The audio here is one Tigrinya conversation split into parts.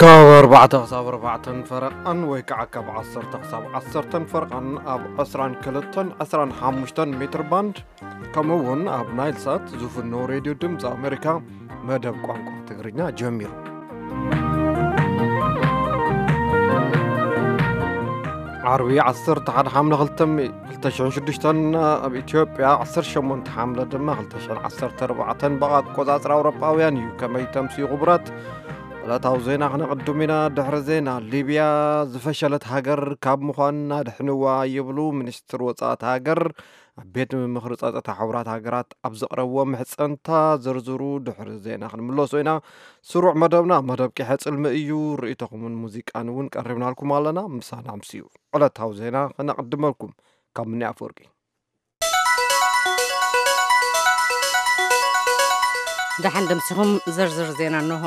ካብ ኣርባዕተ ክሳብ ኣርባዕተን ፈረቓን ወይ ከዓ ካብ ዓሰርተ ክሳብ ዓሰርተን ፈረቓን ኣብ ዕስራን ክልተን ዕስራን ሓሙሽተን ሜትር ባንድ፣ ከምኡ እውን ኣብ ናይል ሳት ዝፍኖ ሬድዮ ድምፂ ኣሜሪካ መደብ ቋንቋ ትግርኛ ጀሚሩ። ዓርቢ ዓሰርተ ሓደ ሓምለ ክልተ ሽሕን ሽዱሽተን፣ ኣብ ኢትዮጵያ ዓሰርተ ሸሞንተ ሓምለ ድማ ክልተ ሽሕን ዓሰርተ ኣርባዕተን ብኣቆፃፅራ ኣውሮጳውያን እዩ። ከመይ ተምስዩ ክቡራት? ዕለታዊ ዜና ክነቕድም ኢና። ድሕሪ ዜና፣ ሊብያ ዝፈሸለት ሃገር ካብ ምዃን ኣድሕንዋ ይብሉ ሚኒስትር ወፃእቲ ሃገር። ኣብ ቤት ምኽሪ ጸጥታ ሕቡራት ሃገራት ኣብ ዘቕረብዎ ምሕጸንታ ዝርዝሩ ድሕሪ ዜና ክንምለሶ ኢና። ስሩዕ መደብና መደብ ቂሐ ጽልሚ እዩ። ርእይቶኹምን ሙዚቃን እውን ቀሪብናልኩም ኣለና። ምሳና ኣምስዩ። ዕለታዊ ዜና ክነቕድመልኩም ካብ ምኒ ኣፈወርቂ። ደሓን ደምሲኹም። ዝርዝር ዜና እንሆ።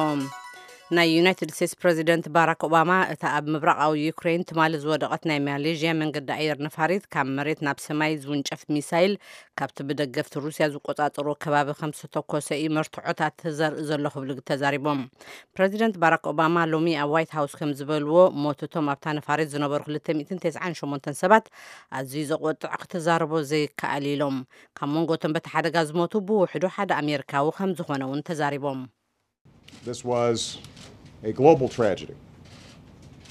ናይ ዩናይትድ ስቴትስ ፕረዚደንት ባራክ ኦባማ እታ ኣብ ምብራቓዊ ዩክሬን ትማሊ ዝወደቐት ናይ ማሌዥያ መንገዲ ኣየር ነፋሪት ካብ መሬት ናብ ሰማይ ዝውንጨፍ ሚሳይል ካብቲ ብደገፍቲ ሩስያ ዝቆጻጸሮ ከባቢ ከም ዝተኮሰ እዩ መርትዖታት ዘርኢ ዘሎ ክብሉ ተዛሪቦም። ፕረዚደንት ባራክ ኦባማ ሎሚ ኣብ ዋይት ሃውስ ከም ዝበልዎ፣ ሞት እቶም ኣብታ ነፋሪት ዝነበሩ ክልተ ሚእትን ተስዓን ሸሞንተን ሰባት ኣዝዩ ዘቑጥዕ ክትዛረቦ ዘይከኣል ኢሎም። ካብ መንጎ እቶም በቲ ሓደጋ ዝሞቱ ብውሕዱ ሓደ ኣሜሪካዊ ከም ዝኾነ እውን ተዛሪቦም። This was a global tragedy.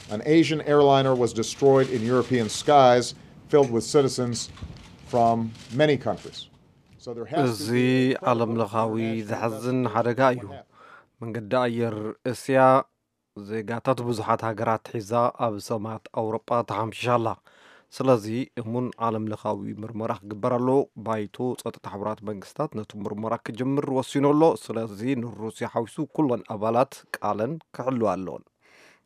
An Asian airliner was destroyed in European skies filled with citizens from many countries. So there has እዚ to be a ዓለም ለኻዊ ዘሕዝን ሓደጋ እዩ። መንገዲ ኣየር እስያ ዜጋታት ብዙሓት ሃገራት ሒዛ ኣብ ሰማያት ኣውሮጳ ተሓምሺሻ ኣላ። ስለዚ እሙን ዓለም ለኻዊ ምርመራ ክግበር ኣለዎ። ባይቶ ጸጥታ ሕቡራት መንግስታት ነቲ ምርመራ ክጅምር ወሲኑ ኣሎ። ስለዚ ንሩስያ ሓዊሱ ኩለን ኣባላት ቃለን ክሕልዋ ኣለዎን።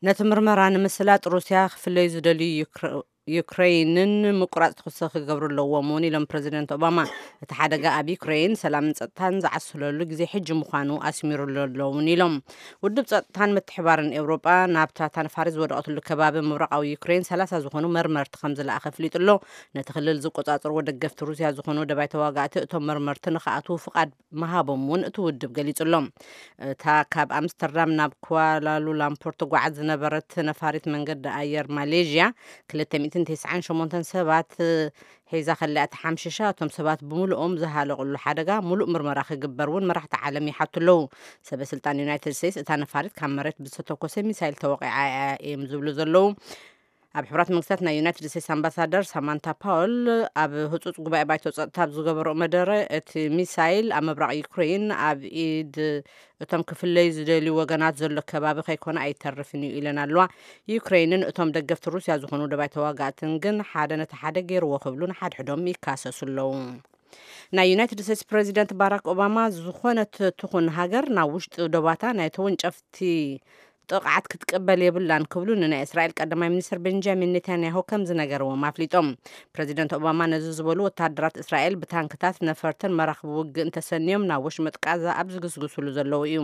ነቲ ምርመራ ንምስላጥ ሩስያ ክፍለዩ ዝደልዩ ዩክረ- ዩክረይንን ምቁራጽ ተኹሲ ክገብሩ ኣለዎም እውን ኢሎም ፕረዚደንት ኦባማ። እቲ ሓደጋ ኣብ ዩክረይን ሰላምን ጸጥታን ዝዓስለሉ ግዜ ሕጂ ምዃኑ ኣስሚሩሉ ኣሎ እውን ኢሎም። ውድብ ጸጥታን ምትሕባርን ኤውሮጳ ናብታ ታንፋሪ ዝወደቐትሉ ከባቢ ምብራቓዊ ዩክሬን ሰላሳ ዝኾኑ መርመርቲ ከም ዝለኣኸ ኣፍሊጡ ኣሎ። ነቲ ክልል ዝቆጻጸርዎ ደገፍቲ ሩስያ ዝኾኑ ደባይ ተዋጋእቲ እቶም መርመርቲ ንኽኣትዉ ፍቓድ ምሃቦም እውን እቲ ውድብ ገሊጹ ኣሎ። እታ ካብ ኣምስተርዳም ናብ ኳላሉላምፖር ትጓዓዝ ዝነበረት ነፋሪት መንገዲ ኣየር ማሌዥያ ክልተ ሚእትን ተስዓን ሸሞንተን ሰባት ሒዛ ከላ እታ ሓምሽሻ እቶም ሰባት ብምሉኦም ዝሃለቑሉ ሓደጋ ምሉእ ምርመራ ክግበር እውን መራሕቲ ዓለም ይሓቱ ኣለዉ። ሰበ ስልጣን ዩናይትድ ስቴትስ እታ ነፋሪት ካብ መሬት ብዝተተኮሰ ሚሳይል ተወቒዓ እያ እዮም ዝብሉ ዘለዉ። ኣብ ሕቡራት መንግስታት ናይ ዩናይትድ ስቴትስ ኣምባሳደር ሳማንታ ፓውል ኣብ ህጹጽ ጉባኤ ባይቶ ጸጥታ ኣብ ዝገበረኦ መደረ እቲ ሚሳይል ኣብ ምብራቕ ዩክሬን ኣብ ኢድ እቶም ክፍለዩ ዝደልዩ ወገናት ዘሎ ከባቢ ከይኮነ ኣይተርፍን እዩ ኢለን ኣለዋ። ዩክሬንን እቶም ደገፍቲ ሩስያ ዝኾኑ ደባይ ተዋጋእትን ግን ሓደ ነቲ ሓደ ገይርዎ ክብሉ ንሓድሕዶም ይካሰሱ ኣለዉ። ናይ ዩናይትድ ስቴትስ ፕረዚደንት ባራክ ኦባማ ዝኾነት ትኹን ሃገር ናብ ውሽጢ ዶባታ ናይ ተወንጨፍቲ ጥቕዓት ክትቅበል የብላን ክብሉ ንናይ እስራኤል ቀዳማይ ሚኒስትር ቤንጃሚን ኔታንያሁ ከም ዝነገርዎም ኣፍሊጦም። ፕረዚደንት ኦባማ ነዚ ዝበሉ ወታደራት እስራኤል ብታንክታት ነፈርትን መራኽቢ ውግእን ተሰንዮም ናብ ወሽመጥ ቃዛ ኣብ ዝግስግስሉ ዘለዉ እዩ።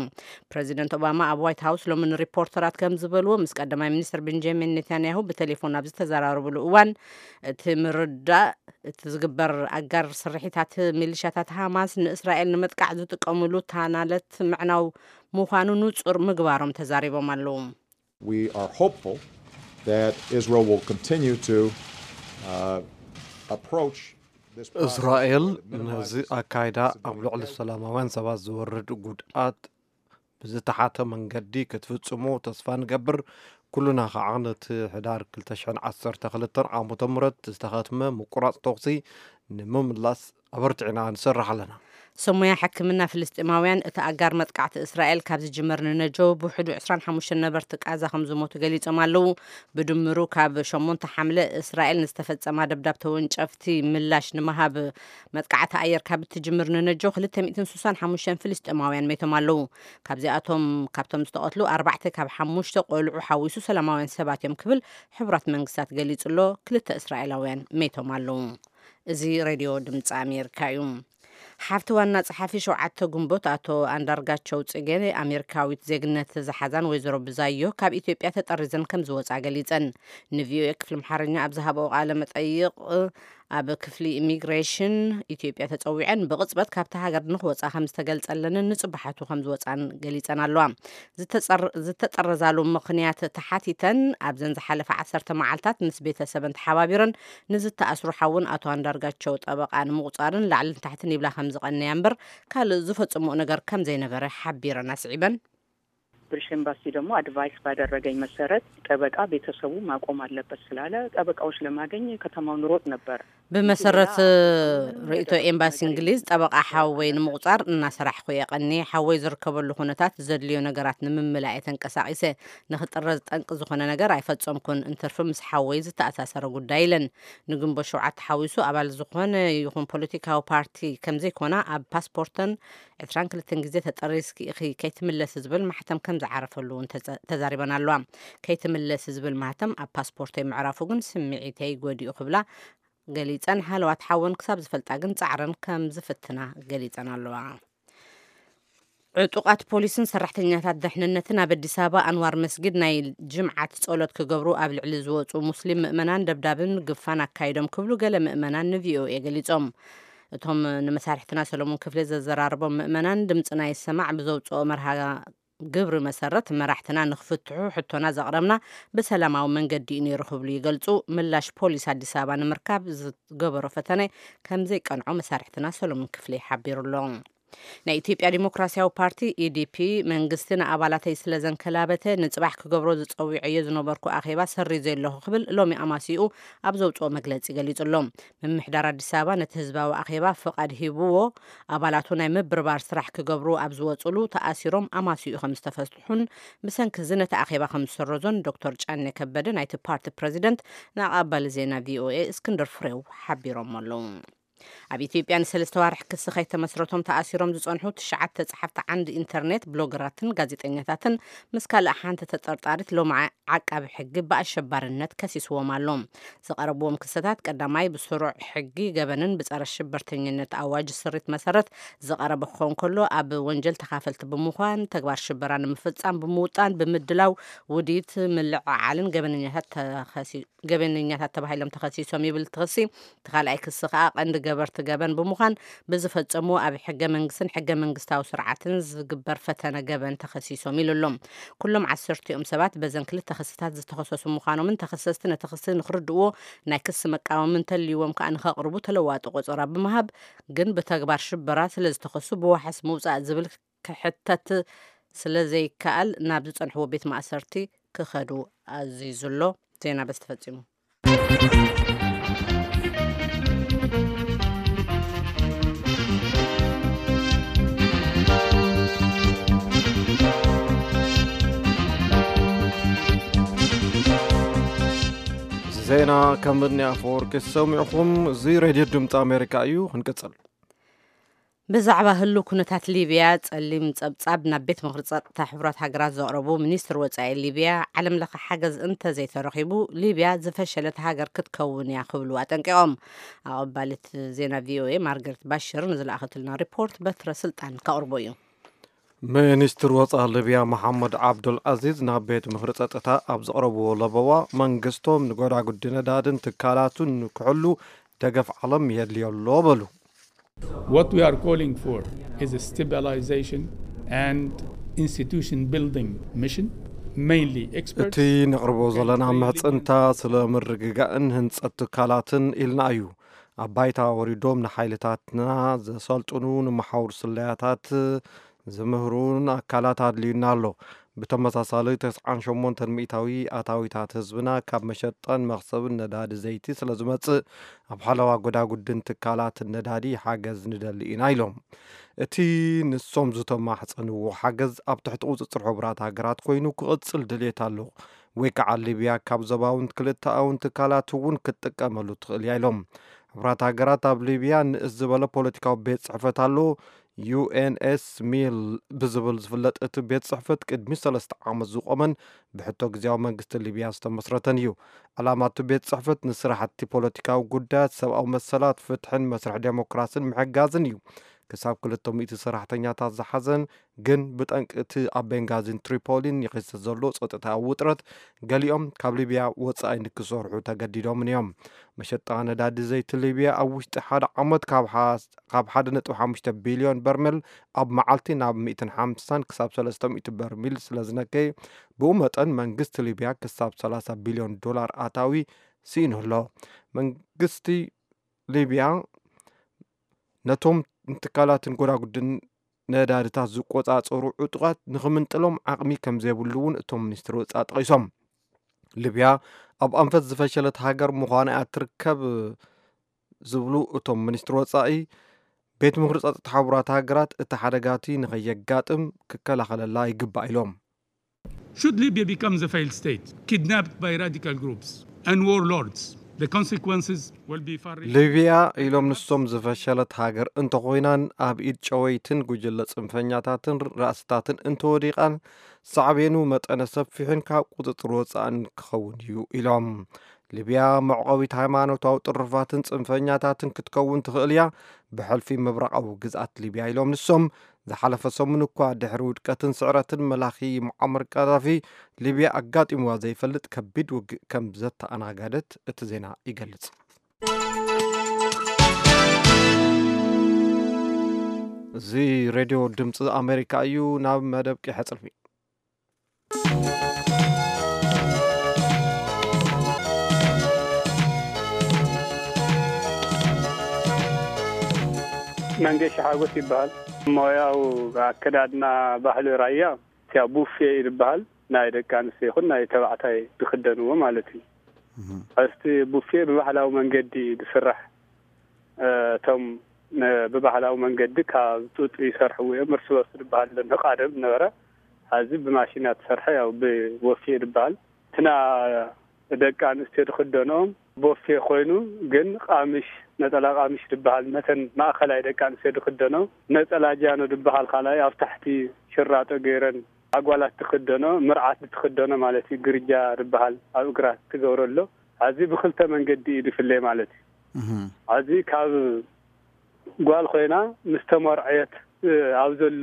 ፕረዚደንት ኦባማ ኣብ ዋይት ሃውስ ሎሚ ንሪፖርተራት ከም ዝበልዎ ምስ ቀዳማይ ሚኒስትር ቤንጃሚን ኔታንያሁ ብቴሌፎን ኣብ ዝተዘራረብሉ እዋን እቲ ምርዳእ እቲ ዝግበር ኣጋር ስርሒታት ሚሊሻታት ሃማስ ንእስራኤል ንምጥቃዕ ዝጥቀምሉ ታናለት ምዕናው ምዃኑ ንጹር ምግባሮም ተዛሪቦም ኣለዉ። We are hopeful that Israel will continue to uh, approach this process እስራኤል with a minimized ነዚ ኣካይዳ ኣብ ልዕሊ ሰላማውያን ሰባት ዝወርድ ጉድኣት ብዝተሓተ መንገዲ ክትፍጽሞ ተስፋ ንገብር። ኩልና ከዓ ነቲ ሕዳር ክልተ ሽሕን ዓሰርተ ክልተን ዓመተ ምህረት ዝተኸትመ ምቁራጽ ተኹሲ ንምምላስ ኣበርቲዕና ንሰርሕ ኣለና። ሰሙያ ሕክምና ፍልስጤማውያን እቲ ኣጋር መጥቃዕቲ እስራኤል ካብ ዝጅመር ንነጆ ብውሕዱ ዕስራን ሓሙሽተን ነበርቲ ቃዛ ከም ዝሞቱ ገሊጾም ኣለዉ። ብድምሩ ካብ ሸሞንተ ሓምለ እስራኤል ንዝተፈጸማ ደብዳብ ተወንጨፍቲ ምላሽ ንምሃብ መጥቃዕቲ ኣየር ካብ እትጅምር ንነጆ ክልተ ሚእትን ስሳን ሓሙሽተን ፍልስጤማውያን ሜቶም ኣለዉ። ካብዚኣቶም ካብቶም ዝተቐትሉ ኣርባዕተ ካብ ሓሙሽተ ቆልዑ ሓዊሱ ሰላማውያን ሰባት እዮም ክብል ሕቡራት መንግስታት ገሊጹ ኣሎ። ክልተ እስራኤላውያን ሜቶም ኣለዉ። እዚ ሬድዮ ድምፂ ኣሜሪካ እዩ። ሓፍቲ ዋና ጸሓፊ ሸውዓተ ግንቦት ኣቶ ኣንዳርጋቸው ጽጌ ኣሜሪካዊት ዜግነት ዝሓዛን ወይዘሮ ብዛዮ ካብ ኢትዮጵያ ተጠሪዘን ከም ዝወጻ ገሊጸን። ንቪኦኤ ክፍሊ ኣምሓርኛ ኣብ ዝሃበኦ ቃለ መጠይቕ፣ ኣብ ክፍሊ ኢሚግሬሽን ኢትዮጵያ ተጸዊዐን ብቕጽበት ካብታ ሃገር ንክወጻ ከም ዝተገልጸለንን ንጽባሓቱ ከም ዝወጻን ገሊጸን ኣለዋ። ዝተጸር-፣ ዝተጠረዛሉ ምኽንያት ተሓቲተን ኣብዘን ዝሓለፈ ዓሰርተ መዓልታት ምስ ቤተሰበን ተሓባቢረን ንዝተኣስሩ ሓውን ኣቶ ኣንዳርጋቸው ጠበቓ ንምቑጻርን ላዕልን ታሕትን ይብላ ከም ዝቐነያ እምበር ካልእ ዝፈጽምኦ ነገር ከም ዘይነበረ ሓቢረን ኣስዒበን። ብሪሽ ኤምባሲ ደግሞ አድቫይስ ባደረገኝ መሰረት ጠበቃ ቤተሰቡ ማቆም አለበት ስላለ ጠበቃዎች ለማገኝ ከተማውን ሮጥ ነበር። ብመሰረት ርእይቶ ኤምባሲ እንግሊዝ ጠበቃ ሓወይ ንምቑጻር እናሰራሕኩ እየ ቀኒ። ሓወይ ዝርከበሉ ኩነታት ዘድልዮ ነገራት ንምምላእ እየ ተንቀሳቒሰ። ንክጥረዝ ጠንቂ ዝኾነ ነገር ኣይፈጸምኩን። እንትርፊ ምስ ሓወይ ዝተኣሳሰረ ጉዳይ ኢለን። ንግንቦት ሸውዓተ ሓዊሱ ኣባል ዝኾነ ይኹን ፖለቲካዊ ፓርቲ ከም ዘይኮና ኣብ ፓስፖርተን ዕስራን ክልተን ግዜ ተጠሪዝኪ ኢኺ ከይትምለሲ ዝብል ማሕተም ከም ዝዓረፈሉ እውን ተዘ-፣ ተዛሪበን ኣለዋ። ከይትምለሲ ዝብል ማህተም ኣብ ፓስፖርተይ ምዕራፉ ግን ስምዒተይ ጎዲኡ ክብላ ገሊጸን፣ ሃለዋት ሓወን ክሳብ ዝፈልጣ ግን ጻዕረን ከም ዝፍትና ገሊጸን ኣለዋ። ዕጡቓት ፖሊስን ሰራሕተኛታት ደሕንነትን ኣብ ኣዲስ ኣበባ ኣንዋር መስጊድ ናይ ጅምዓት ጸሎት ክገብሩ ኣብ ልዕሊ ዝወጹ ሙስሊም ምእመናን ደብዳብን ግፋን ኣካይዶም ክብሉ ገለ ምእመናን ንቪኦኤ ገሊጾም። እቶም ንመሳርሕትና ሰሎሞን ክፍሌ ዘዘራረቦም ምእመናን ድምፅና ይሰማዕ ብዘውፅኦ መርሃ ግብሪ መሰረት መራሕትና ንክፍትሑ ሕቶና ዘቕረብና ብሰላማዊ መንገዲ እዩ ነይሩ ክብሉ ይገልፁ። ምላሽ ፖሊስ ኣዲስ ኣበባ ንምርካብ ዝገበሮ ፈተነ ከም ዘይቀንዖ መሳርሕትና ሰሎሞን ክፍሌ ሓቢሩ ኣሎ። ናይ ኢትዮጵያ ዲሞክራሲያዊ ፓርቲ፣ ኢዲፒ፣ መንግስቲ ንኣባላተይ ስለ ዘንከላበተ፣ ንጽባሕ ክገብሮ ዝጸዊዐዮ ዝነበርኩ ኣኼባ ሰሪዘ ኣለኹ ክብል ሎሚ ኣማሲኡ ኣብ ዘውጽኦ መግለጺ ገሊጹ ኣሎ። ምምሕዳር ኣዲስ ኣበባ ነቲ ህዝባዊ ኣኼባ ፍቓድ ሂብዎ፣ ኣባላቱ ናይ ምብርባር ስራሕ ክገብሩ ኣብ ዝወጹሉ ተኣሲሮም ኣማሲኡ ከም ዝተፈትሑን ብሰንኪ እዚ ነቲ ኣኼባ ከም ዝሰረዞን ዶክተር ጫኔ ከበደ ናይቲ ፓርቲ ፕረዚደንት ንኣቐባሊ ዜና ቪኦኤ እስክንድር ፍሬው ሓቢሮም ኣለዉ። ኣብ ኢትዮጵያ ንሰለስተ ዋርሕ ክሲ ከይተመስረቶም ተኣሲሮም ዝጸንሑ ትሽዓተ ጸሓፍቲ ዓንዲ ኢንተርኔት፣ ብሎገራትን ጋዜጠኛታትን ምስ ካልእ ሓንቲ ተጠርጣሪት ሎሚ ዓ-፣ ዓቃቢ ሕጊ ብኣሸባርነት ከሲስዎም ኣሎ። ዝቐረብዎም ክስታት ቀዳማይ ብስሩዕ ሕጊ ገበንን ብጸረ ሽበርተኝነት ኣዋጅ ስሪት መሰረት ዝቐረበ ክኸውን ከሎ፣ ኣብ ወንጀል ተኻፈልቲ ብምዃን፣ ተግባር ሽበራ ንምፍጻም ብምውጣን፣ ብምድላው፣ ውዲት፣ ምልዕዓልን ገበነኛታት ተኸሲ-፣ ገበነኛታት ተባሂሎም ተኸሲሶም ይብል እቲ ክሲ። እቲ ካልኣይ ክሲ ከኣ ቀንዲ ገበርቲ ገበን ብምዃን ብዝፈጸምዎ ኣብ ሕገ መንግስትን ሕገ መንግስታዊ ስርዓትን ዝግበር ፈተነ ገበን ተኸሲሶም ኢሉ ኣሎ። ኩሎም ዓሰርቲኦም ሰባት በዘን ክልተ ክስታት ዝተኸሰሱ ምዃኖምን ተኸሰስቲ ነቲ ክሲ ንክርድእዎ ናይ ክሲ መቃወሚ እንተልይዎም ከኣ ንኸቕርቡ ተለዋጢ ቆጸራ ብምሃብ ግን ብተግባር ሽበራ ስለ ዝተኸሱ ብዋሕስ ምውጻእ ዝብል ክሕተት ስለ ዘይከኣል ናብ ዝጸንሕዎ ቤት ማእሰርቲ ክኸዱ ኣዚዙ ኣሎ። ዜና በዚ ተፈጺሙ። እዚ ዜና ከም ብኒ ኣፈወርቂ ዝሰሚዕኹም፣ እዚ ሬድዮ ድምፂ ኣሜሪካ እዩ። ክንቅፅል። ብዛዕባ ህሉ ኩነታት ሊብያ ጸሊም ጸብጻብ ናብ ቤት ምኽሪ ጸጥታ ሕቡራት ሃገራት ዘቕረቡ ሚኒስትር ወጻኢ ሊብያ፣ ዓለም ለኸ ሓገዝ እንተዘይተረኺቡ ሊብያ ዝፈሸለት ሃገር ክትከውን እያ ክብሉ ኣጠንቂቖም። ኣቐባሊት ዜና ቪኦኤ ማርገሬት ባሽር ንዝለኣኸትልና ሪፖርት በትረ ስልጣን ከቕርቦ እዩ። ሚኒስትር ወጻኢ ሊብያ መሓመድ ዓብዱል ዓዚዝ ናብ ቤት ምኽሪ ጸጥታ ኣብ ዘቕረብዎ ለበዋ፣ መንግስቶም ንጎዳጉዲ ነዳድን ትካላቱን ክሕሉ ደገፍ ዓለም የድልዮ ኣሎ በሉ። What we are calling for is a stabilization and institution building mission, mainly experts. እቲ ነቕርቦ ዘለና ምሕጽንታ ስለ ምርግጋእን ህንጸት ትካላትን ኢልና እዩ። ኣብ ባይታ ወሪዶም ንሓይልታትና ዘሰልጥኑ፣ ንመሓውር ስለያታት ዝምህሩን ኣካላት ኣድልዩና ኣሎ። ብተመሳሳሊ፣ ተስዓን ሸሞንተን ሚእታዊ ኣታዊታት ህዝብና ካብ መሸጣን መኽሰብን ነዳዲ ዘይቲ ስለ ዝመጽእ፣ ኣብ ሓለዋ ጎዳጉድን ትካላትን ነዳዲ ሓገዝ ንደሊ ኢና ኢሎም። እቲ ንሶም ዝተማሕጸንዎ ሓገዝ ኣብ ትሕቲ ቁጽጽር ሕቡራት ሃገራት ኮይኑ ክቕጽል ድልየት ኣሎ፣ ወይ ከዓ ሊብያ ካብ ዞባውን ክልተኣውን ትካላት እውን ክትጥቀመሉ ትኽእል እያ ኢሎም። ሕቡራት ሃገራት ኣብ ሊብያ ንእስ ዝበለ ፖለቲካዊ ቤት ጽሕፈት ኣሎ። ዩ ኤን ኤስ ሚል ብዝብል ዝፍለጥ እቲ ቤት ጽሕፈት ቅድሚ ሰለስተ ዓመት ዝቖመን ብሕቶ ግዝያዊ መንግስቲ ሊብያ ዝተመስረተን እዩ። ዕላማ እቲ ቤት ጽሕፈት ንስራሕቲ ፖለቲካዊ ጉዳያት፣ ሰብኣዊ መሰላት፣ ፍትሕን መስርሕ ዴሞክራስን ምሕጋዝን እዩ። ክሳብ ክልተ ሚእቲ ሰራሕተኛታት ዝሓዘን፣ ግን ብጠንቂ እቲ ኣብ ቤንጋዚን ትሪፖሊን ይኽሰት ዘሎ ጸጥታዊ ውጥረት፣ ገሊኦም ካብ ሊብያ ወጻኢ ንክሰርሑ ተገዲዶምን እዮም። መሸጣ ነዳዲ ዘይቲ ሊብያ ኣብ ውሽጢ ሓደ ዓመት ካብ ሓ-፣ ካብ ሓደ ነጥቢ ሓሙሽተ ቢልዮን በርሜል ኣብ መዓልቲ ናብ ሚእትን ሓምሳን ክሳብ ሰለስተ ሚእቲ በርሚል ስለ ዝነከየ፣ ብኡ መጠን መንግስቲ ሊብያ ክሳብ ሰላሳ ቢልዮን ዶላር ኣታዊ ስኢኑ ኣሎ። መንግስቲ ሊብያ ነቶም ንትካላትን ጎዳጉድን ነዳድታት ዝቆጻጸሩ ዕጡቓት ንኽምንጥሎም ዓቕሚ ከም ዘይብሉ እውን እቶም ሚኒስትር ወጻኢ ጠቒሶም። ሊብያ ኣብ ኣንፈት ዝፈሸለት ሃገር ምዃና እያ ትርከብ ዝብሉ እቶም ሚኒስትር ወጻኢ፣ ቤት ምኽሪ ጸጥታ ሕቡራት ሃገራት እቲ ሓደጋቲ ንኸየጋጥም ክከላኸለላ ይግባእ ኢሎም። Should Libya become the failed state, kidnapped by radical groups and warlords, the consequences will be far-reaching. ሊብያ ኢሎም ንሶም ዝፈሸለት ሃገር እንተኾይናን ኣብ ኢድ ጨወይትን ጉጅለ ጽንፈኛታትን ራእስታትን እንተወዲቓን ሳዕቤኑ መጠነ ሰፊሕን ካብ ቁጽጽር ወጻእን ክኸውን እዩ ኢሎም። ሊብያ መዕቆቢት ሃይማኖታዊ ጥርፋትን ጽንፈኛታትን ክትከውን ትኽእል እያ፣ ብሕልፊ ምብራቓዊ ግዝኣት ሊብያ ኢሎም ንሶም። ዝሓለፈ ሰሙን እኳ ድሕሪ ውድቀትን ስዕረትን መላኺ ሙዓመር ቀዳፊ፣ ሊብያ ኣጋጢምዋ ዘይፈልጥ ከቢድ ውግእ ከም ዘተኣናገደት እቲ ዜና ይገልጽ። እዚ ሬድዮ ድምፂ ኣሜሪካ እዩ። ናብ መደብ ቂሐ ጽልፊ። መንገሻ ሓጎስ ይበሃል። ሞያው ኣከዳድና ባህሊ ራያ፣ እቲያ ቡፌ እዩ ዝበሃል። ናይ ደቂ ኣንስትዮ ይኹን ናይ ተባዕታይ ዝኽደንዎ ማለት እዩ። እህ። እስቲ ቡፌ ብባህላዊ መንገዲ ዝስራሕ፣ እ፣ እቶም ነ-፣ ብባህላዊ መንገዲ ካብ ጡጥ ይሰርሕዎ እዮም። እርስ በርሱ ዝበሃል ኣሎ፣ ንቐደም ነበረ። ሕዚ ብማሽን እያ ትሰርሐ፣ ያው ብቦፌ ዝበሃል። እትና ደቂ ኣንስትዮ ዝኽደንኦም ቦፌ ኮይኑ፣ ግን ቃምሽ፣ ነጠላ ቃምሽ ዝበሃል፣ ነተን ማእኸላይ ደቂ ኣንስትዮ ዝኽደንኦ፣ ነጠላ ጃኖ ዝበሃል ካልኣይ ኣብ ታሕቲ ሽራጦ ገይረን ኣጓላት ትኽደኖ፣ ምርዓት ትኽደኖ ማለት እዩ። ግርጃ ዝበሃል ኣብ እግራ ትገብሮ ኣሎ። ኣዚ ብኽልተ መንገዲ እዩ ዝፍለ ማለት እዩ። እህ። ኣዚ ካብ ጓል ኮይና ምስ ተመርዐየት፣ እ፣ ኣብ ዘሎ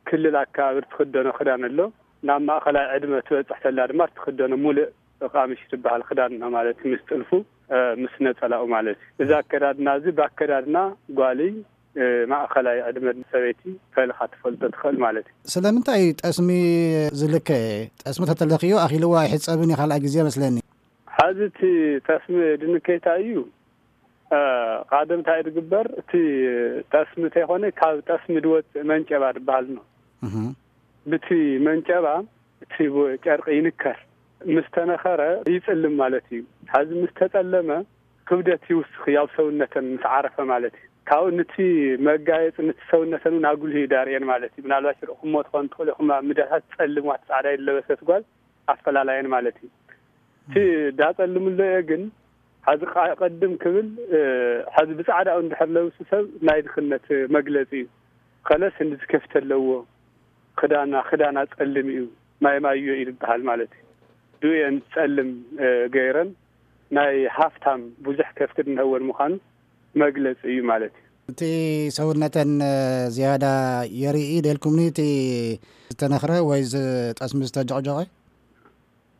ክልል ኣከባቢ ትኽደኖ ክዳን ኣሎ። ናብ ማእኸላይ ዕድመ ትበጽሕ ተላ ድማ ትኽደኖ ሙሉእ ቃምሽ ዝበሃል ክዳን ነው ማለት እዩ። ምስ ጥልፉ፣ እ፣ ምስ ነጸላኡ ማለት እዩ። እዚ ኣከዳድና እዚ ብኣከዳድና ጓልይ፣ እ፣ ማእኸላይ ዕድመ ሰበይቲ ፈሊኻ ትፈልጦ ትኽእል ማለት እዩ። ስለምንታይ ጠስሚ ዝልከ? ጠስሚ ተተለኽዮ ኣኺልዎ ኣይሕጸብን እዩ ካልኣይ ግዜ መስለኒ። ሐዚ እቲ ጠስሚ ድንከይታ እዩ። እ፣ ቃደም እንታይ ድግበር? እቲ ጠስሚ እንተይኮነ ካብ ጠስሚ ድወፅእ መንጨባ ድበሃል ነው። እህ። ብቲ መንጨባ እቲ ጨርቂ ይንከር። ምስ ተነኸረ ይፅልም ማለት እዩ። ሐዚ ምስ ተፀለመ ክብደት ይውስኽ እዩ፣ ኣብ ሰውነተን ምስ ዓረፈ ማለት እዩ። ካብኡ ንቲ መጋየፂ ንቲ ሰውነተን እውን ኣጉልህ እዩ ዳርኤን ማለት እዩ። ምናልባት ርኢኹሞ ትኾን ትኽእሉ ኢኹም፣ ኣብ ሚድያታት ፀልም ዋት ፃዕዳ ይለበሰት ጓል ኣፈላላየን ማለት እዩ። እቲ ዳጸልምሎ እየ ግን፣ ሐዚ ቃ-፣ ቅድም ክብል፣ እ፣ ሐዚ ብጻዕዳኡ እንድሕር ለብሱ ሰብ ናይ ድኽነት መግለጺ እዩ። ከለስ እንዲ ዝከፍተ ኣለዎ፣ ክዳና፣ ክዳና ጸልም እዩ፣ ማይ ማዮ እዩ ዝበሃል ማለት እዩ። ድኡየን ጸልም፣ እ፣ ገይረን ናይ ሃፍታም ብዙሕ ከፍቲ እንሀወን ምዃኑ መግለጺ እዩ ማለት እዩ። እቲ ሰውነተን፣ እ፣ ዝያዳ የርኢ ደልኩምኒ፣ እቲ ዝተነኽረ ወይ ዝ-፣ ጠስሚ ዝተጀቕጀቐ?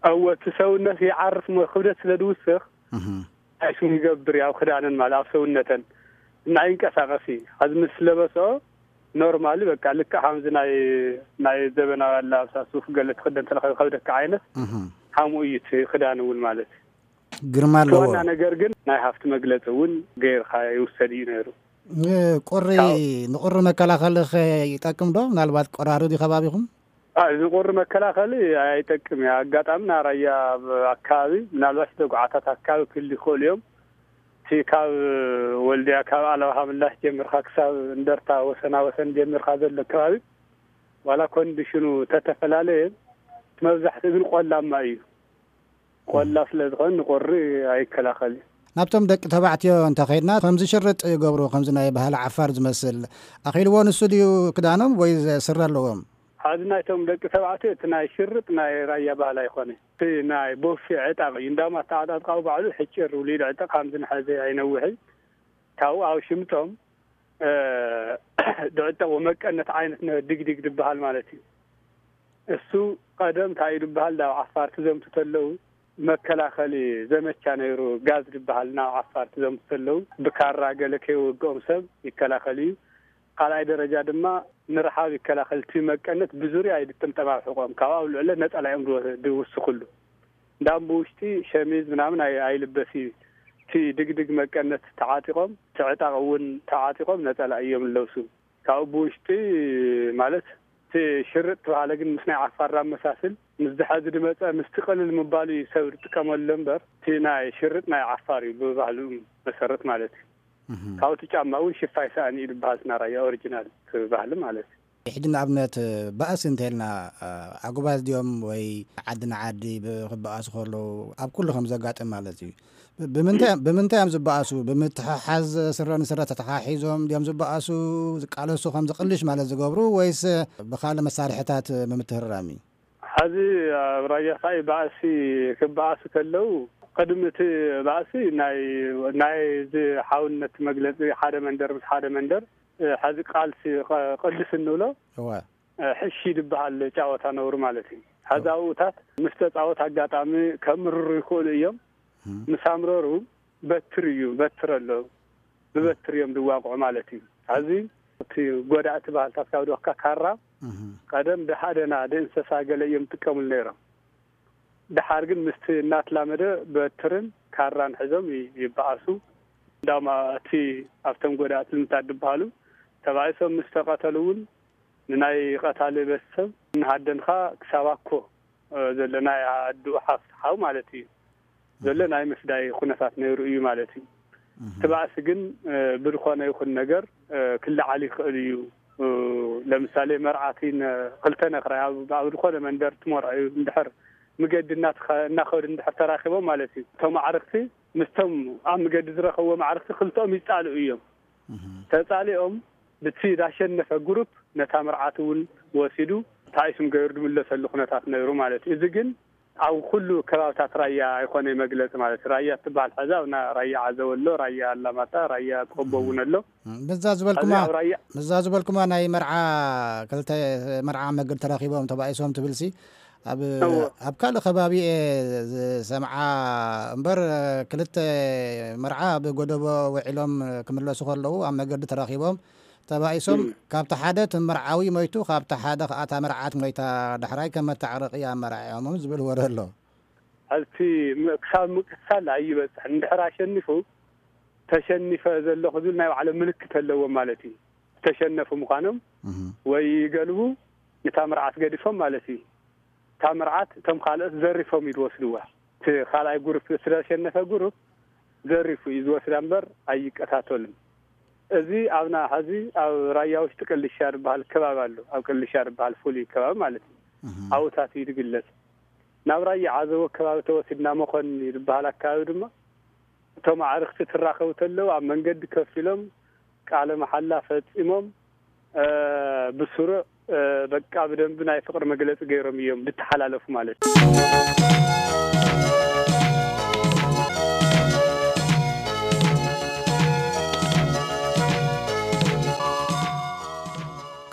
እወ፣ እቲ ሰውነት ይዓርፍ እሞ ክብደት ስለ ዝውስኽ፣ እህ። ኣይስም ይገብር እዩ ኣብ ክዳነን ማለት ኣብ ሰውነተን እና ይንቀሳቐስ እዩ። ሕዚ ምስ ለበስኦ ኖርማሊ በቃ ልክዕ ከምዚ ናይ፣ ናይ ዘበናዊ ኣላብሳ ሱፍ ገለ ትኽደን ተለኻ ከብደካ ዓይነት እህ። ሓምኡ እዩ እቲ ክዳን እውን ማለት። ግርማ እቲ ኣለዎ። ዋና ነገር ግን ናይ ሃፍቲ መግለፂ እውን ገይርካ ይውሰድ እዩ ነይሩ። ንቁሪ፣ ካብ ንቁሪ መከላኸሊ ኸ ይጠቅም ዶ? ምናልባት ቆራሪ ድዩ ከባቢኹም? አ፣ ንቁሪ መከላኸሊ ኣይጠቅም እዩ። ኣጋጣሚ ናራያ ኣብ ኣካባቢ ምናልባት ተጉዓታት ኣካባቢ ክህሉ ይኽእሉ እዮም። እቲ ካብ ወልድያ፣ ካብ ኣለባሃ ምላሽ ጀሚርካ ክሳብ እንደርታ ወሰና ወሰን ጀሚርካ ዘሎ ከባቢ ዋላ ኮንዲሽኑ ተተፈላለየ፣ እቲ መብዛሕትኡ ግን ቆላማ እዩ። ቆላ ስለ ዝኾነ ንቁሪ ኣይከላኸል እዩ። ናብቶም ደቂ ተባዕትዮ እንተኸይድና፣ ከምዚ ሽርጥ ይገብሩ፣ ከምዚ ናይ ባህሊ ዓፋር ዝመስል። ኣኺልዎ ንሱ ድዩ ክዳኖም ወይ ስረ ኣለዎም? ሓዚ ናይቶም ደቂ ተባዕትዮ እቲ ናይ ሽርጥ ናይ ራያ ባህሊ ኣይኮነ። እቲ ናይ ቦፌ ዕጣቕ እዩ። እንዳማ ኣተዓጣጥቃኡ ባዕሉ ሕጭር ውሊድ ዕጣቕ፣ ከምዚ ንሐዚ ኣይነውሕን። ካብኡ ኣብ ሽምጦም ድዕጠቕ መቀነት ዓይነት ድግድግ ዝበሃል ማለት እዩ። እሱ ቀደም እንታይ እዩ ዝበሃል ናብ ዓፋር ክዘምቱ ተለዉ መከላኸሊ ዘመቻ ነይሩ። ጋዝ ዝበሃል ናብ ዓፋር ክዘምቱ ተለዉ ብካራ ገለ ከይወግኦም ሰብ ይከላኸል እዩ። ካልኣይ ደረጃ ድማ ንረሓብ ይከላኸል። እቲ መቀነት ብዙርያ ይጥምጠም ኣብ ሕቖም ካብኣ ኣብ ልዕለ ነፀላ እዮም ድወስኽሉ። እንዳም ብውሽጢ ሸሚዝ ምናምን ኣይልበስ እዩ። እቲ ድግድግ መቀነት ተዓጢቖም ትዕጣቕ እውን ተዓጢቖም ነፀላ እዮም ዝለብሱ። ካብኡ ብውሽጢ ማለት እቲ ሽርጥ ተባሃለ ግን ምስ ናይ ዓፋር ኣመሳስል ምስ ዝሐዚ ድመፀ ምስቲ ቅልል ምባሉ እዩ ሰብ ዝጥቀመሉ እምበር እቲ ናይ ሽርጥ ናይ ዓፋር እዩ ብባህሉ መሰረት ማለት እዩ። ካብቲ ጫማ እውን ሽፋይ ሰኣን እዩ ዝበሃል ናራያ ኦሪጂናል ባህሊ ማለት እዩ። ሕጂ ንኣብነት ባእሲ እንተልና ኣጉባዝ ድዮም ወይ ዓዲ ንዓዲ ክበኣሱ ከለዉ ኣብ ኩሉ ከም ዘጋጥም ማለት እዩ። ብምንታይ እዮም ዝበኣሱ? ብምትሕሓዝ ስረ ንስረ ተተሓሒዞም ድዮም ዝበኣሱ? ዝቃለሱ ከም ዝቕልሽ ማለት ዝገብሩ ወይስ ብካልእ መሳርሕታት ብምትህራም እዩ? ሐዚ ኣብ ራያ ኸዓ ባእሲ ክበኣሱ ከለዉ ቅድሚ እቲ ባእሲ ናይ ናይ እዚ ሓውነት መግለፂ ሓደ መንደር ምስ ሓደ መንደር ሐዚ ቃልሲ ቅልስ እንብሎ ሕሺ ዝበሃል ጫወታ ነብሩ ማለት እዩ። ሐዚ ኣብኡታት ምስ ተፃወት ኣጋጣሚ ከምርሩ ይኽእሉ እዮም። ምስ ኣምረሩ በትር እዩ በትር ኣሎ ብበትር እዮም ዝዋቅዑ ማለት እዩ። ሐዚ እቲ ጎዳእቲ ባህልታት ካብ ድወካ ካራ ቀደም ደሓደና ደእንሰሳ ገለ እዮም ዝጥቀሙሉ ነይሮም። ደሓር ግን ምስቲ እናትላመደ በትርን ካራን ሕዞም ይበኣሱ። እንዳማ እቲ ኣብቶም ጎዳእቲ ልምታት ዝበሃሉ ተባኢሶም ምስ ተቐተሉ እውን ንናይ ቀታሊ ቤተሰብ እናሃደንካ ክሳብ ኣኮ ዘሎ ናይ ኣድኡ ሓፍቲ ሓው ማለት እዩ ዘሎ ናይ ምፍዳይ ኩነታት ነይሩ እዩ ማለት እዩ። እቲ ባእሲ ግን ብዝኾነ ይኹን ነገር ክለዓል ይኽእል እዩ። ለምሳሌ መርዓቲ ክልተ ነክራይ ኣብ ዝኾነ መንደር ትመርዐ እዩ እንድሕር ምገዲ እናኸዱ እንድሕር ተራኪቦም ማለት እዩ። እቶም ኣዕርክቲ ምስቶም ኣብ ምገዲ ዝረኸብዎ ኣዕርክቲ ክልተኦም ይፃልኡ እዮም። ተፃሊኦም ብቲ ዳሸነፈ ግሩፕ ነታ መርዓቲ እውን ወሲዱ ታይስም ገይሩ ዝምለሰሉ ኩነታት ነይሩ ማለት እዩ። እዚ ግን ኣብ ኩሉ ከባብታት ራያ ኣይኮነ መግለፂ ማለት እዩ። ራያ ትበሃል ሐዚ ኣብና ራያ ዓዘወ ኣሎ፣ ራያ ኣላማጣ፣ ራያ ቆቦ እውን ኣሎ። ምዛ ዝበልኩማ ምዛ ዝበልኩማ ናይ መርዓ ክልተ መርዓ መግድ ተራኪቦም ተባኢሶም ትብልሲ ኣብ ኣብ ካልእ ከባቢ እየ ዝሰምዓ እምበር ክልተ መርዓ ኣብ ጎደቦ ውዒሎም ክምለሱ ከለዉ ኣብ መገዲ ተራኪቦም ተባኢሶም ካብቲ ሓደ እቲ መርዓዊ ሞይቱ ካብቲ ሓደ ከዓ እታ መርዓት ሞይታ ዳሕራይ ከም መታዕረቂ ኣመራዒዖሞም ዝብል ወረ ኣሎ። ኣብቲ ክሳብ ምቅትሳል ኣይበፅሕን። እንድሕር ኣሸኒፉ ተሸኒፈ ዘለኹ ዝብል ናይ ባዕሎም ምልክት ኣለዎም ማለት እዩ። ዝተሸነፉ ምዃኖም ወይ ይገልቡ ነታ መርዓት ገዲፎም ማለት እዩ። እታ መርዓት እቶም ካልኦት ዘሪፎም እዩ ዝወስድዋ። እቲ ካልኣይ ጉሩፕ ስለዘሸነፈ ጉሩፕ ዘሪፉ እዩ ዝወስዳ እምበር ኣይቀታተሉን። እዚ ኣብና ሐዚ ኣብ ራያ ውሽጢ ቅልሻ ዝበሃል ከባቢ ኣሎ። ኣብ ቅልሻ ዝበሃል ፍሉይ ከባቢ ማለት እዩ። ኣብኡታት እዩ ዝግለጽ። ናብ ራያ ዓዘቦ ከባቢ ተወሲድና መኾኒ ዝበሃል ኣካባቢ ድማ እቶም ኣዕርክቲ ትራኸቡ ተለዉ ኣብ መንገዲ ከፊሎም ቃለ መሓላ ፈጺሞም ብስሩዕ በቃ ብደንቢ ናይ ፍቅሪ መግለፂ ገይሮም እዮም ዝተሓላለፉ ማለት እዩ።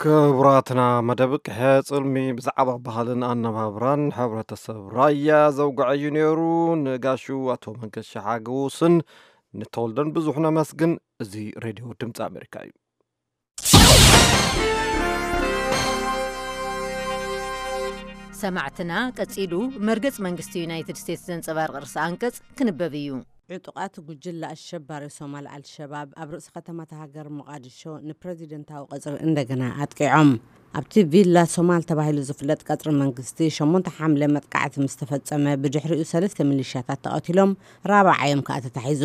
ክቡራትና መደብ ቅሐ ጽልሚ ብዛዕባ ባህልን ኣነባብራን ሕብረተሰብ ራያ ዘውግዐ እዩ ነይሩ። ንጋሹ ኣቶ መንገሻ ሓገውስን ንተወልደን ብዙሕ ነመስግን። እዚ ሬድዮ ድምፂ ኣሜሪካ እዩ። ሰማዕትና ቀጺሉ መርገጽ መንግስቲ ዩናይትድ ስቴትስ ዘንጸባርቕ ርእሰ ኣንቀጽ ክንበብ እዩ። ዕጡቓት ጉጅለ ኣሸባሪ ሶማል ኣልሸባብ ኣብ ርእሲ ከተማ እታ ሃገር ሞቓድሾ ንፕረዚደንታዊ ቀጽሪ እንደገና ኣጥቂዖም። ኣብቲ ቪላ ሶማል ተባሂሉ ዝፍለጥ ቀጽሪ መንግስቲ ሸሞንተ ሓምለ መጥቃዕቲ ምስ ተፈጸመ ብድሕሪኡ ሰለስተ ሚሊሻታት ተቐቲሎም ራብዓዮም ከኣ ተታሒዙ።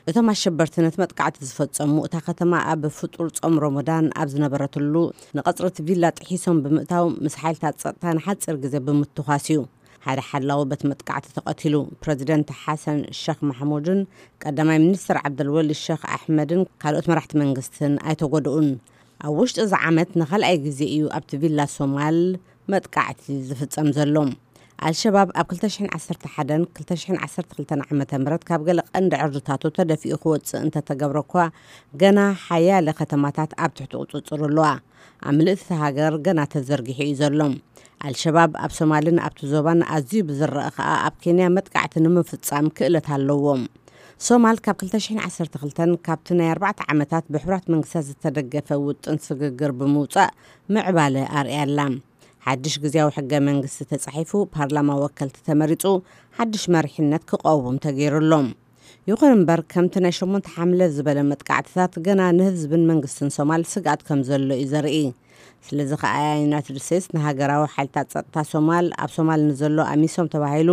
እቶም ኣሸበርቲ ነቲ መጥቃዕቲ ዝፈጸሙ እታ ከተማ ኣብ ፍጡር ጾም ሮሞዳን ኣብ ዝነበረትሉ ንቐጽሪ እቲ ቪላ ጥሒሶም ብምእታው ምስ ሓይልታት ጸጥታ ንሓጺር ግዜ ብምትኳስ እዩ ሓደ ሓላዊ በቲ መጥቃዕቲ ተቐቲሉ። ፕረዚደንት ሓሰን ሸኽ ማሕሙድን ቀዳማይ ሚኒስትር ዓብደልወሊ ሸኽ ኣሕመድን ካልኦት መራሕቲ መንግስትን ኣይተጎድኡን። ኣብ ውሽጢ እዚ ዓመት ንኻልኣይ ግዜ እዩ ኣብቲ ቪላ ሶማል መጥቃዕቲ ዝፍጸም ዘሎ። ኣልሸባብ ኣብ ክልተ ሽሕን ዓሰርተ ሓደን ክልተ ሽሕን ዓሰርተ ክልተን ዓመተ ምህረት ካብ ገለ ቀንዲ ዕርድታቱ ተደፊኡ ክወጽእ እንተተገብረ እኳ፣ ገና ሓያለ ከተማታት ኣብ ትሕቲ ቁጽጽሩ ኣለዋ። ኣብ ምልእቲ እታ ሃገር ገና ተዘርጊሑ እዩ ዘሎ። ኣልሸባብ ኣብ ሶማልን ኣብቲ ዞባን ኣዝዩ ብዝረአ ከኣ ኣብ ኬንያ መጥቃዕቲ ንምፍጻም ክእለት ኣለዎም። ሶማል ካብ ክልተ ሽሕን ዓሰርተ ክልተን ካብቲ ናይ ኣርባዕተ ዓመታት ብሕቡራት መንግስታት ዝተደገፈ ውጥን ስግግር ብምውጻእ ምዕባለ ኣርእያ ኣላ። ሓድሽ ግዝያዊ ሕገ መንግስቲ ተጻሒፉ፣ ፓርላማ ወከልቲ ተመሪጹ፣ ሓድሽ መሪሕነት ክቐውም ተገይሩ ኣሎ። ይኹን እምበር፣ ከምቲ ናይ ሸሞንተ ሓምለ ዝበለ መጥቃዕትታት ገና ንህዝብን መንግስትን ሶማል ስግኣት ከም ዘሎ እዩ ዘርኢ። ስለዚ ከኣ ዩናይትድ ስቴትስ ንሃገራዊ ሓይልታት ጸጥታ ሶማል፣ ኣብ ሶማል ንዘሎ ኣሚሶም ተባሂሉ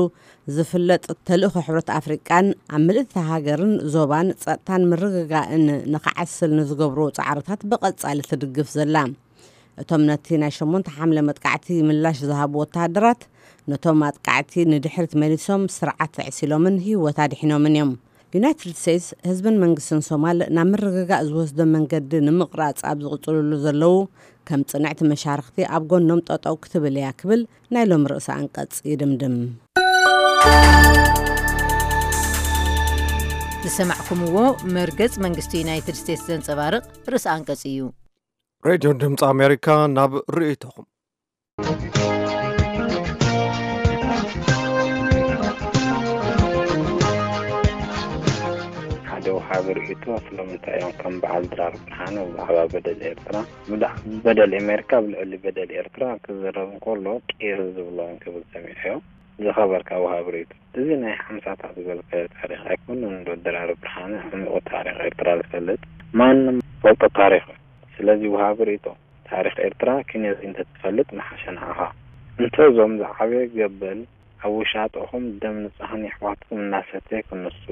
ዝፍለጥ ተልእኾ ሕብረት ኣፍሪቃን ኣብ ምልእቲ ሃገርን ዞባን ጸጥታን ምርግጋእን ንኽዓስል ንዝገብርዎ ጻዕርታት ብቐጻሊ ትድግፍ ዘላ። እቶም ነቲ ናይ ሸሞንተ ሓምለ መጥቃዕቲ ምላሽ ዝሃቡ ወተሃደራት፣ ነቶም ኣጥቃዕቲ ንድሕሪት መሊሶም ስርዓት ኣዕሲሎምን ህይወት ኣድሒኖምን እዮም። ዩናይትድ ስቴትስ ህዝብን መንግስትን ሶማል ናብ ምርግጋእ ዝወስዶ መንገዲ ንምቕራጽ ኣብ ዝቕጽልሉ ዘለዉ፣ ከም ጽንዕቲ መሻርኽቲ ኣብ ጎኖም ጠጠው ክትብል እያ ክብል ናይ ሎም ርእሰ ኣንቀጽ ይድምድም። ዝሰማዕኩምዎ መርገጽ መንግስቲ ዩናይትድ ስቴትስ ዘንጸባርቕ ርእሰ ኣንቀጽ እዩ። ሬድዮ ድምፂ ኣሜሪካ፣ ናብ ርእይቶኹም። ሓደ ወሃቢ ርእይቶ፣ ስለምንታይ እዮም ከም በዓል ድራር ብርሃነ ብዛዕባ በደል ኤርትራ፣ ብዳ-፣ በደል ኣሜሪካ ኣብ ልዕሊ በደል ኤርትራ ክዝረብ እንከሎ ቂር ዝብሎ እንክብል ሰሚዐዮ። ዝኸበርካ ወሃቢ ርእይቶ፣ እዚ ናይ ሓምሳታት ዝበልካዮ ታሪኽ ኣይኮነን ዶ ድራር ብርሃነ ዕሙቕ ታሪኽ ኤርትራ ዝፈልጥ? ማንም ፈልጦ ታሪኽ እዩ። ስለዚ ወሃቢ ርእይቶ፣ ታሪኽ ኤርትራ ኪነዚ እንተትፈልጥ ምሓሸ ንዓኻ። እንተ እዞም ዝዓበየ ገበል ኣብ ውሻጠኹም ደም ንጹሃን የሕዋትኩም እናሰተየ ክንሱ፣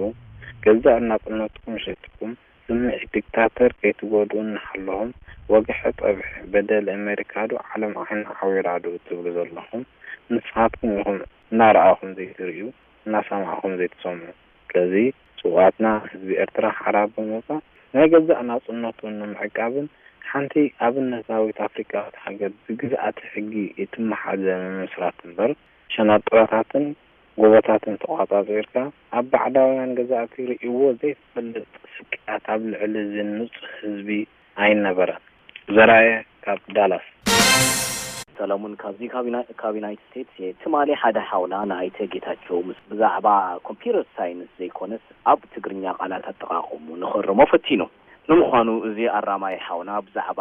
ገዛእ ናጽነትኩም ሸይጥኩም፣ ስምዒት ዲክታተር ከይትጎድኡ እናሓለኹም፣ ወግሐ ጸብሐ በደል ኣሜሪካ ዶ ዓለም ዓይና ዓዊራ ዶ እትብሉ ዘለኹም፣ ንስኻትኩም ኢኹም እናረኣኹም ዘይትርእዩ፣ እናሰማዕኹም ዘይትሰምዑ። ስለዚ ስውኣትና ህዝቢ ኤርትራ ሓራ ብምውጻእ ናይ ገዛእ ናጽነቱ ንምዕቃብን ሓንቲ ኣብነታዊት ኣፍሪቃዊት ሃገር ብግዝኣተ ሕጊ እትመሓደር ንምምስራት እምበር፣ ሸናጥራታትን ጎቦታትን ተቋጻጺርካ ኣብ ባዕዳውያን ገዛእቲ ርእይዎ ዘይፈልጥ ስቅያት ኣብ ልዕሊ እዚ ንጹህ ህዝቢ ኣይነበረን። ዘራየ ካብ ዳላስ። ሰለሙን ካብዚ ካብ ዩና-፣ ካብ ዩናይትድ ስቴትስ እየ። ትማሊ ሓደ ሓውና ንኣይተ ጌታቸው ምስ ብዛዕባ ኮምፒውተር ሳይንስ ዘይኮነስ ኣብ ትግርኛ ቃላት ኣጠቓቕሙ ንኽእርሞ ፈቲኑ። ንምዃኑ እዚ ኣራማይ ሓውና ብዛዕባ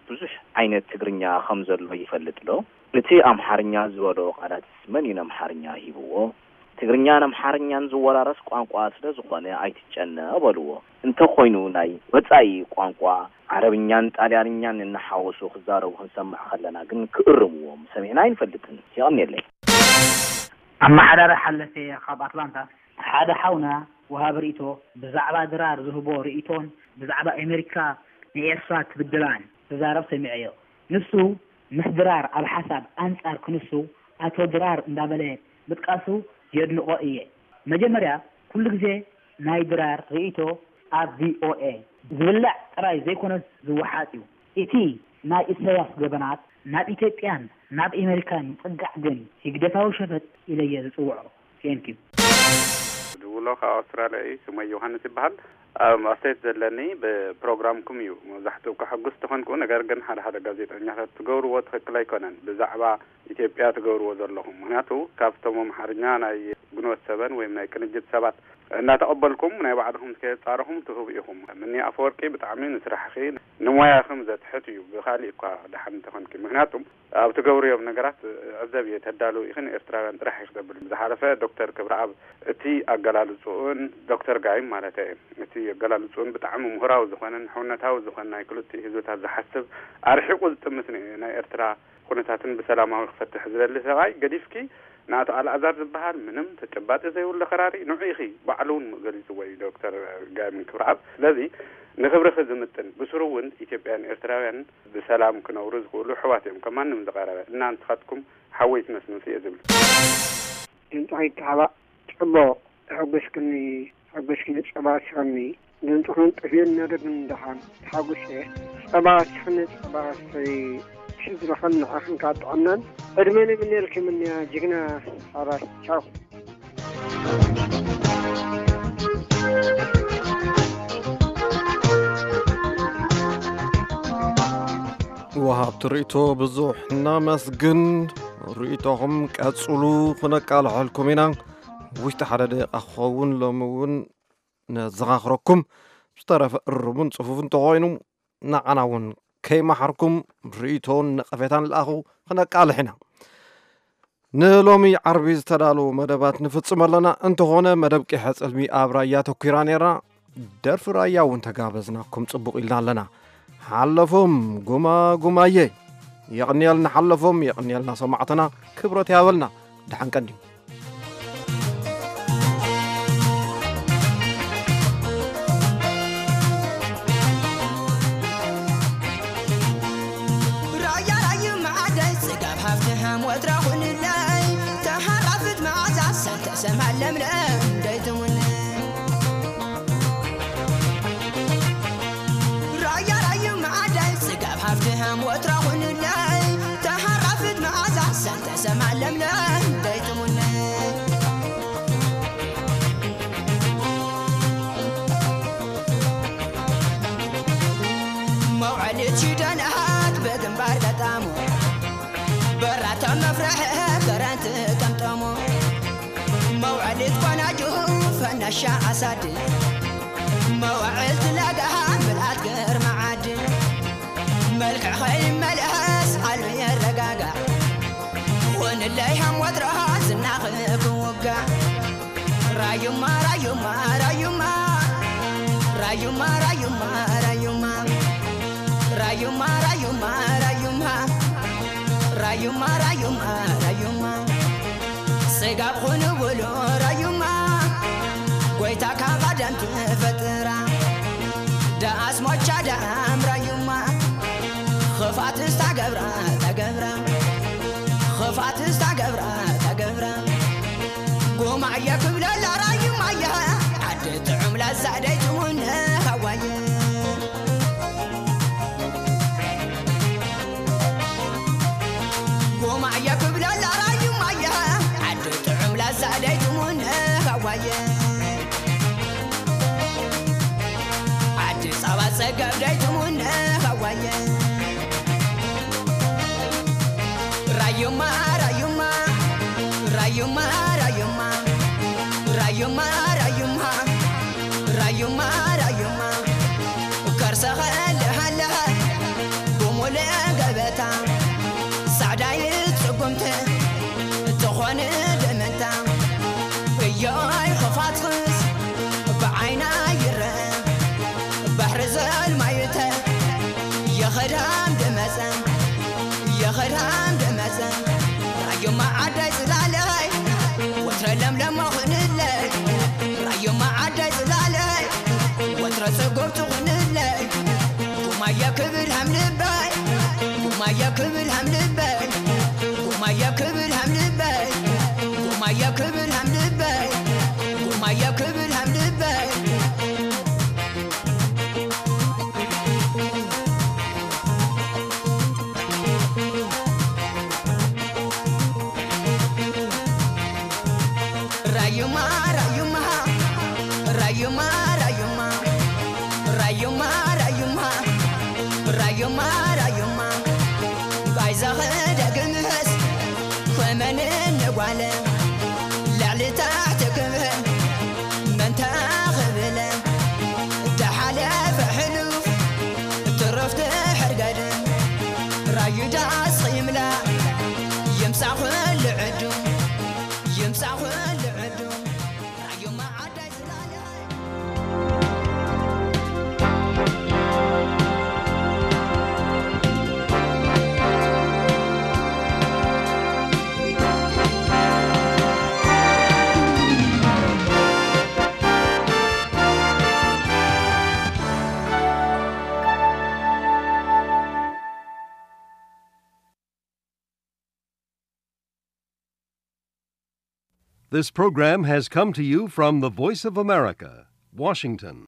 ብዙሕ ዓይነት ትግርኛ ከም ዘሎ ይፈልጥ ዶ? እቲ ኣምሓርኛ ዝበሎ ቃላትስ መን እዩ ነምሓርኛ ሂብዎ? ትግርኛን ኣምሓርኛን ዝወራረስ ቋንቋ ስለ ዝኾነ ኣይትጨነቕ በልዎ። እንተኾይኑ ናይ ወጻኢ ቋንቋ ዓረብኛን ጣልያንኛን እናሓወሱ ክዛረቡ ክንሰምዕ ከለና ግን ክእርምዎም ሰሚዕና ኣይንፈልጥን። የቐንየለይ። ኣመሓዳሪ ሓለፈ ካብ ኣትላንታ፣ ሓደ ሓውና ወሃቢ ርእይቶ ብዛዕባ ድራር ዝህቦ ርእይቶን ብዛዕባ ኣሜሪካ ንኤርትራ ትብድላን ክዛረብ ሰሚዐዮ። ንሱ ምስ ድራር ኣብ ሓሳብ ኣንጻር ክንሱ ኣቶ ድራር እንዳበለ ምጥቃሱ የድንቖ እየ። መጀመርያ ኩሉ ግዜ ናይ ድራር ርእይቶ ኣብ ቪኦኤ ዝብላዕ ጥራይ ዘይኮነስ ዝወሓጥ እዩ። እቲ ናይ ኢሳያስ ገበናት ናብ ኢትዮጵያን ናብ ኣሜሪካን ይጽጋዕ ግን ህግደፋዊ ሸፈጥ ኢለየ ዝጽውዖ። ቴንኪዩ። ድውሎ ካብ ኣውስትራልያ እዩ። ስመይ ዮሃንስ ይበሃል። ኣብ ኣስተያየት ዘለኒ ብፕሮግራምኩም እዩ። መብዛሕትኡ ከሐጉስ ተኾንኩ፣ ነገር ግን ሓደ ሓደ ጋዜጠኛታት ትገብርዎ ትኽክል ኣይኮነን። ብዛዕባ ኢትዮጵያ ትገብርዎ ዘለኹም፣ ምኽንያቱ ካብቶም ኣምሓርኛ ናይ ግንቦት ሰበን ወይም ናይ ቅንጅት ሰባት እናተቐበልኩም ናይ ባዕልኹም ከየጻረኹም ትህቡ ኢኹም። ምኒ ኣፈወርቂ ብጣዕሚ ንስራሕኺ ንሞያኽም ዘትሕት እዩ። ብኻሊእ እኳ ደሓን እንተኾንኪ፣ ምኽንያቱም ኣብ ትገብርዮም ነገራት ዕዘብ እየ፣ ተዳልው ኢኽን ኤርትራውያን ጥራሕ ኢኽ ዘብል። ዝሓለፈ ዶክተር ክብረኣብ እቲ ኣገላልጽኡን ዶክተር ጋይም ማለት እየ፣ እቲ ኣገላልጽኡን ብጣዕሚ ምሁራዊ ዝኾነን ሕውነታዊ ዝኾነ ናይ ክልቲኡ ህዝብታት ዝሓስብ ኣርሒቑ ዝጥምት ን-፣ ናይ ኤርትራ ኩነታትን ብሰላማዊ ክፈትሕ ዝደሊ ሰብኣይ ገዲፍኪ ንኣቶ ኣልኣዛር ዝበሃል ምንም ተጨባጢ ዘይብሉ ከራሪ ንዑ ኢኺ፣ ባዕሉ እውን ገሊጽዎ እዩ ዶክተር ጋይም ክብረኣብ። ስለዚ ንኽብርኺ ዝምጥን ብስሩ እውን ኢትዮጵያን ኤርትራውያን ብሰላም ክነብሩ ዝኽእሉ ኣሕዋት እዮም፣ ከም ማንም ዝቐረበ እና ንስኻትኩም ሓወይ ትመስሉን እየ ዝብል። ድምፅኻ ይተሓባእ ጽቡቕ። ተሐጎስክኒ፣ ተሐጎስክኒ ጸባ ስኽኒ። ድምፅኽን ጥፍእን ነደግን ደሓን። ተሓጉሰ። ጸባ ስኽኒ ጸባ ሰይ። ሕዝብኽን ንዓኽን ካብ ጥዕናን ዕድመን ይምነየልኩም እኒያ ጅግና ሓራይ። ቻው። ወሃብቲ ርእይቶ ብዙሕ እናመስግን፣ ርእይቶኹም ቀጽሉ፣ ክነቃልሐልኩም ኢና። ውሽጢ ሓደ ደቂቓ ክኸውን ሎሚ እውን ነዘኻኽረኩም። ብዝተረፈ እርሙን ጽፉፍን እንተኾይኑ ንዓና እውን ከይመሓርኩም ርእይቶን ነቐፌታን ለኣኹ፣ ክነቃልሕ ኢና። ንሎሚ ዓርቢ ዝተዳለዉ መደባት ንፍጽም ኣለና። እንተኾነ መደብ ቂሐ ጽልሚ ኣብ ራያ ተኲራ ነይራ። ደርፊ ራያ እውን ተጋበዝናኩም ጽቡቕ ኢልና ኣለና። ሓለፎም ጉማ ጉማየ። የቕንየልና ሓለፎም፣ የቕንየልና ሰማዕትና፣ ክብረት ያበልና። ደሓን ቀንዩ። ራያ ራዩ መዓደይ ጽጋብ ሃፍቲ ሃም ወትራ ኹንለይ ተሃራፍት መዓዛ ሰንተ ሰማል ለምለም ደይትሙን ራያ ራዩ መዓደይ ጽጋብ ሃፍቲ ሃም ወትራ ኹንለይ ተሃራፍት መዓዛ ሰንተ ሰማል ለምለም ደይትሙን መውዓሊት ሽደናት ብግንባር ገጣሙ በራታ መፍረሐ ከረንት ጠምጠሙ መውዓሊት ቆናጁ ፈነሻ ኣሳድ መዋዕልቲ ለጋ ምልኣት ገርማ ዓድ መልክዕ ኸይመልአስ ዓሉ የረጋጋዕ ኾንለይ ሃም ወትሮ ዝናኽ ክውጋዕ ራዩማ ራዩማ ራዩማ ራዩማ ራዩማ ራዩማ ራዩማ ራዩማ ራዩማ ራዩማ ራዩማ ስጋብ ኹንብሉ ራዩማ ጎይታ ካብ ኣዳም ትፈጥራ ዳኣስ ሞቻ ዳኣም ራዩማ ኽፋት ስታገብራ ተገብራ ኽፋት ስታገብራ ተገብራ ጉማየ ክብለላ ራዩማየ ዓዲ ጥዑም ላዛ ደይትሙን ሃዋየ ጉማየ ክብለላ ራዩማየ ዓዲ ጥዑም ላዛ ደይትሙን ሃዋየ ዓዲ ጸባ ጸገብ ደይትሙን ሃዋየ ራዩማ ራዩማ ራዩማ ራዩማ ራዩማ ራዩማ ራዩማ ራዩማ ከርሰኸ ለሃለኸ ብሙሉእ ገበታ ጻዕዳይት ጽጉምቲ ትኾን ደመንታ እዮይ ኽፋትኽስ ብዓይና ይረ ባሕሪ ዘልማዩተ የኸዳም ደመጸ የኸዳም ደመጸ ራዩማ ዓዳይ ጽላለይ ወትረ ለምለሞ ኽንለይ ራዩማ ዓዳይ ጽላለይ ወትረ ጽጉብ ትኹንለይ ጉማየ ክብል ሃም ልበይ ጉማየ ክብል ሃም ልበይ ጉማየ ክብል ሃም ልበይ ጉማየ ክብል ሃም ልበይ ጉማየ ክብል ሃም ልበይ ራዩማ ራዩማ ራዩማ ራዩማ ራዩማ ራዩማ ራዩማ ራዩማ ቃይዛኸ ደግምህስ ኮመን ንጓለ ልዕሊ ታሕቲ ክብህል መንታ ክብለ ደሓለፈ ሕሉፍ ትረፍቲ ሕርገድ ራዩ ዳስ ይምላ ይምሳ ኩሉ ዕዱ ይምሳ ኩሉ ዕዱ ራዩማ ዓዳይ ዝላለ This program has come to you from the Voice of America, Washington.